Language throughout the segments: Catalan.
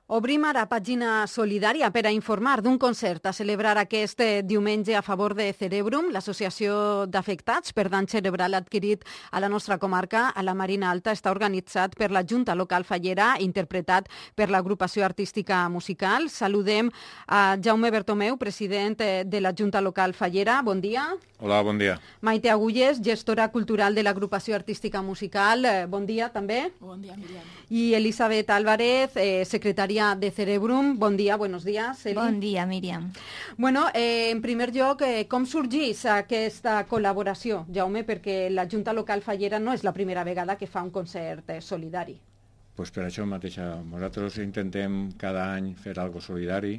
Obrim ara pàgina solidària per a informar d'un concert a celebrar aquest diumenge a favor de Cerebrum, l'associació d'afectats per dany cerebral adquirit a la nostra comarca, a la Marina Alta. Està organitzat per la Junta Local Fallera, interpretat per l'agrupació artística musical. Saludem a Jaume Bertomeu, president de la Junta Local Fallera. Bon dia. Hola, bon dia. Maite Agulles, gestora cultural de l'agrupació artística musical. Bon dia també. Bon dia, Míriam. I Elisabet Álvarez, secretària de Cerebrum. Bon dia, buenos días, Eli. Bon dia, Míriam. Bueno, en primer lloc, com sorgeix aquesta col·laboració, Jaume? Perquè la Junta Local Fallera no és la primera vegada que fa un concert solidari. Pues per això mateix, nosaltres intentem cada any fer algo solidari.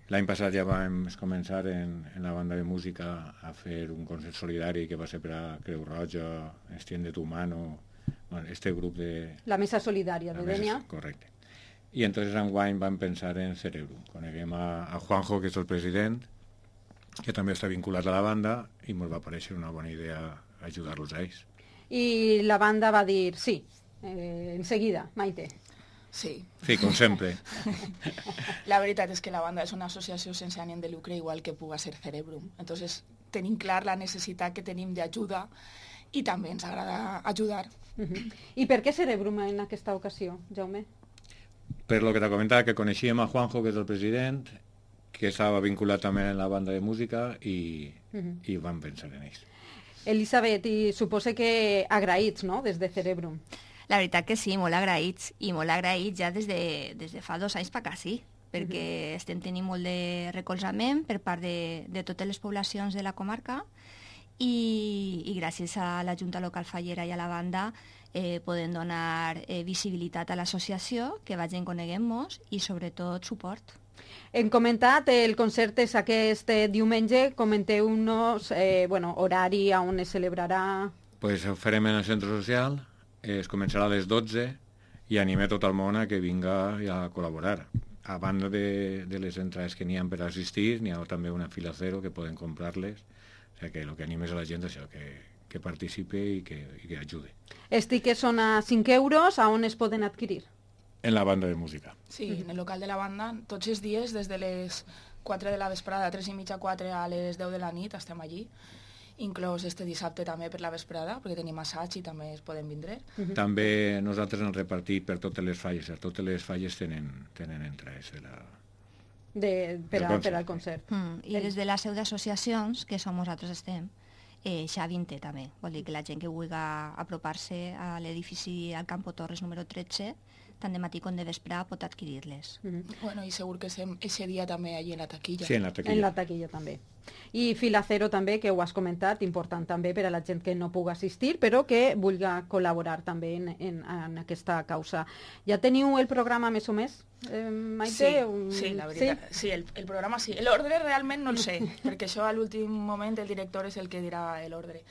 L'any passat ja vam començar en la banda de música a fer un concert solidari que va ser per a Creu Roja, Extiende tu mano, bueno, este grup de... La Mesa Solidària de Dénia. Correcte. I entonces enguany vam pensar en Cerebrum. Coneguem a Juanjo, que és el president, que també està vinculat a la banda, i ens va parèixer una bona idea ajudar-los a ells. I la banda va dir sí, enseguida, Maite. Sí. Sí, com sempre. La veritat és que la banda és una associació sense ànim de lucre, igual que puga ser Cerebrum. Entonces, tenim clar la necessitat que tenim d'ajuda i també ens agrada ajudar. I per què Cerebrum en aquesta ocasió, Jaume? Per lo que t'ha comentat, que coneixíem a Juanjo, que és el president, que estava vinculat també en la banda de música i vam pensar en ells. Elisabet, i suposo que agraïts, no?, des de Cerebrum. La veritat que sí, molt agraïts, i molt agraïts ja des de fa 2 anys per acá, sí, perquè estem tenint molt de recolzament per part de totes les poblacions de la comarca i gràcies a la Junta Local Fallera i a la banda podem donar visibilitat a l'associació, que vagin coneguem-nos i sobretot suport. Hem comentat, el concert és aquest diumenge, comenteu-nos horari on es celebrarà. Pues ho farem en el centre social, es començarà a les 12 i animem tot el món a que vinga a col·laborar. A banda de les entrades que n'hi ha per assistir, n'hi ha també una fila cero que poden comprar-les, o sigui que el que animes a la gent és això, que participe i que ajude. Els tiquets són a 5 euros, a on es poden adquirir? En la banda de música. Sí, en el local de la banda, tots els dies, des de les 4 de la vesprada, 3:30, 4 a les 10 de la nit, estem allí. Inclòs este dissabte també per la vesprada, perquè tenim assaig i també es poden vindre. També nosaltres hem repartit per totes les falles. Totes les falles tenen entrades per al concert. I des de la seu d'associacions, que som nosaltres estem, Xavi en té també. Vol dir que la gent que vulgui apropar-se a l'edifici al Campo Torres número 13, tant de matí com de vespre, pot adquirir-les. Bueno, i segur que estem ese dia també allí en la taquilla. Sí, en la taquilla. En la taquilla també. I fila cero també, que ho has comentat, important també per a la gent que no pugui assistir, però que vulgui col·laborar també en aquesta causa. Ja teniu el programa més o més, Maite? Sí, la veritat. Sí, el programa sí. L'ordre realment no el sé, perquè això a l'últim moment el director és el que dirà l'ordre.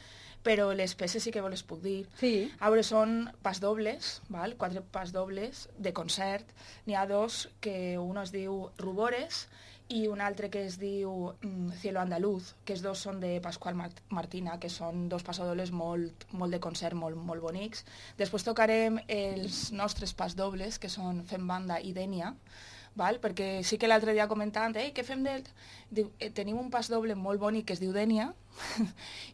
Però les peces sí que les puc dir. Sí. A veure, són pas dobles, val? 4 pas dobles de concert. N'hi ha 2, que un es diu Rubores i un altre que es diu Cielo Andaluz, que els 2 són de Pasqual Martina, que són 2 passadobles molt de concert, molt bonics. Després tocarem els nostres pas dobles, que són Fem Banda i Dénia, val? Perquè sí que l'altre dia comentant, què fem tenim un pas doble molt bonic que es diu Dénia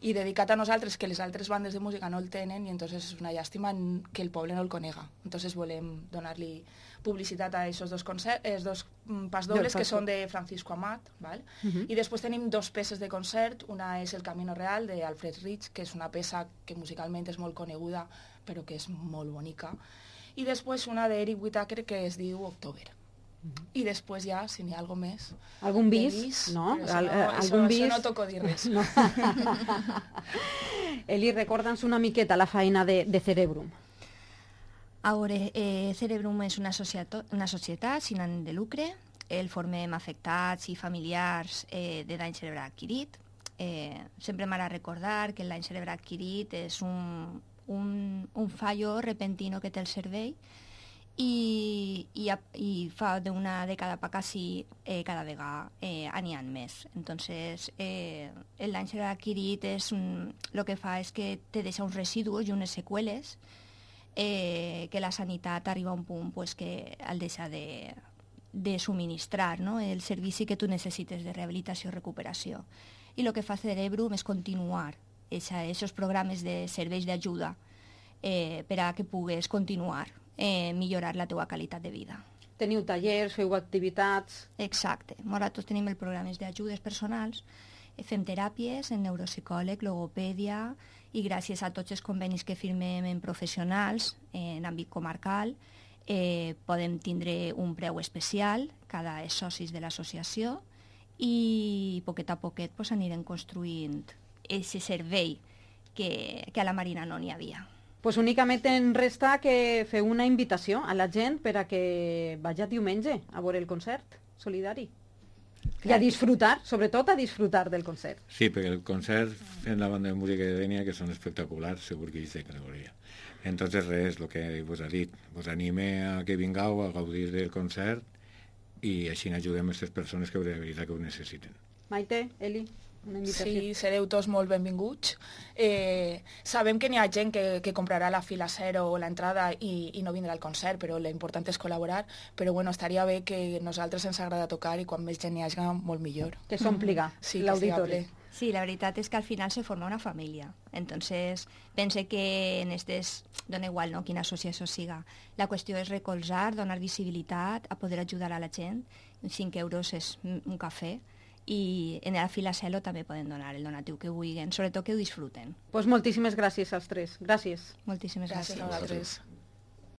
i dedicat a nosaltres, que les altres bandes de música no el tenen, i entonces és una llàstima que el poble no el conega. Entonces volem donar-li publicitat a aquests 2 pas dobles que són de Francisco Amat, val? I després tenim 2 peces de concert. Una és El Camino Real de Alfred Rich, que és una peça que musicalment és molt coneguda però que és molt bonica, i després una d'Eric Whittaker que es diu October. I després ja, si n'hi ha alguna més... Algun bis, no? Això no toco dir res. No. Eli, recorda'ns una miqueta la feina de Cerebrum. A veure, Cerebrum és una societat sin ànim de lucre. El formem afectats i familiars de dany cerebral adquirit. Sempre m'agrada recordar que el dany cerebral adquirit és un fallo repentino que té el cervell i fa d'una dècada per acá sí, cada vegada n'hi ha més. Entonces, el dany cerebral adquirit el que fa és que te deixa uns residus i unes seqüeles que la sanitat arriba a un punt pues, que el deixa de subministrar, no?, el servici que tu necessites de rehabilitació i recuperació. I el que fa Cerebrum és continuar aquests programes de serveis d'ajuda per a que pugues continuar millorar la teva qualitat de vida. Teniu tallers, feu activitats... Exacte. Nosaltres tenim els programes d'ajudes personals, fem teràpies en neuropsicòleg, logopèdia, i gràcies a tots els convenis que firmem en professionals en àmbit comarcal, podem tindre un preu especial cada socis de l'associació i poquet a poquet pues, anirem construint aquest servei que a la Marina no n'hi havia. Pues únicament en resta que feu una invitació a la gent per a que vagi diumenge a veure el concert solidari. I a disfrutar, sobretot a disfrutar del concert. Sí, perquè el concert fent la banda de música de Dènia, que són espectaculars, segur que és de categoria. Entonces res, el que vos ha dit, vos anime a que vingueu a gaudir del concert i així ajudem a aquestes persones que de veritat que ho necessiten. Maite, Eli, una invitació. Sí, sereu tots molt benvinguts. Sabem que n'hi ha gent que comprarà la fila zero o l'entrada i no vindrà al concert, però l'important és col·laborar. Però bueno, estaria bé que nosaltres ens agrada tocar i quan més gent n'hi hagi, molt millor. Que s'ompliga l'auditori. Sí, la veritat és que al final se forma una família. Entonces, pense que en estes, dona igual no, quina associació siga, la qüestió és recolzar, donar visibilitat, a poder ajudar a la gent. 5 euros és un cafè, i en la fila Celo també poden donar el donatiu que vulguin, sobretot que ho disfruten. Pues moltíssimes gràcies als tres. Gràcies. Moltíssimes gràcies. Gràcies a vosaltres.